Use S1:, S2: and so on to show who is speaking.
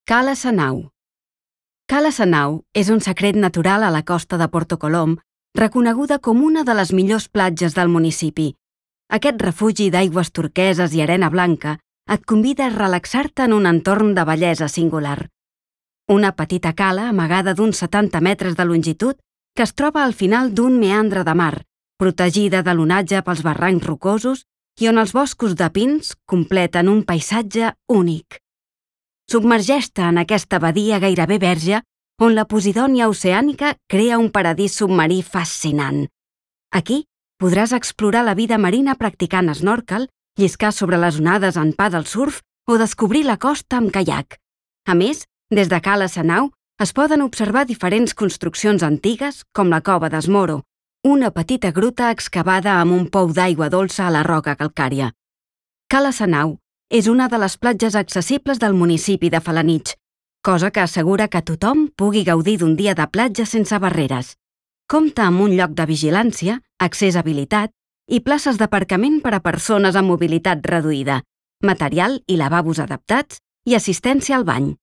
S1: Cala Sanau. Cala Sanau és un secret natural a la costa de Porto Colom, reconeguda com una de les millors platges del municipi. Aquest refugi d'aigües turqueses i arena blanca et convida a relaxar-te en un entorn de bellesa singular. Una petita cala amagada d'uns 70 metres de longitud que es troba al final d'un meandre de mar, protegida de l'onatge pels barrancs rocosos i on els boscos de pins completen un paisatge únic. Submergeix-te en aquesta badia gairebé verge on la Posidònia oceànica crea un paradís submarí fascinant. Aquí podràs explorar la vida marina practicant snorkel, lliscar sobre les onades en paddle surf o descobrir la costa amb caiac. A més, des de Cala Sanau es poden observar diferents construccions antigues com la Cova d'Esmoro, una petita gruta excavada amb un pou d'aigua dolça a la roca calcària. Cala Sanau és una de les platges accessibles del municipi de Felanitx, cosa que assegura que tothom pugui gaudir d'un dia de platja sense barreres. Compta amb un lloc de vigilància, accés habilitat i places d'aparcament per a persones amb mobilitat reduïda, material i lavabos adaptats i assistència al bany.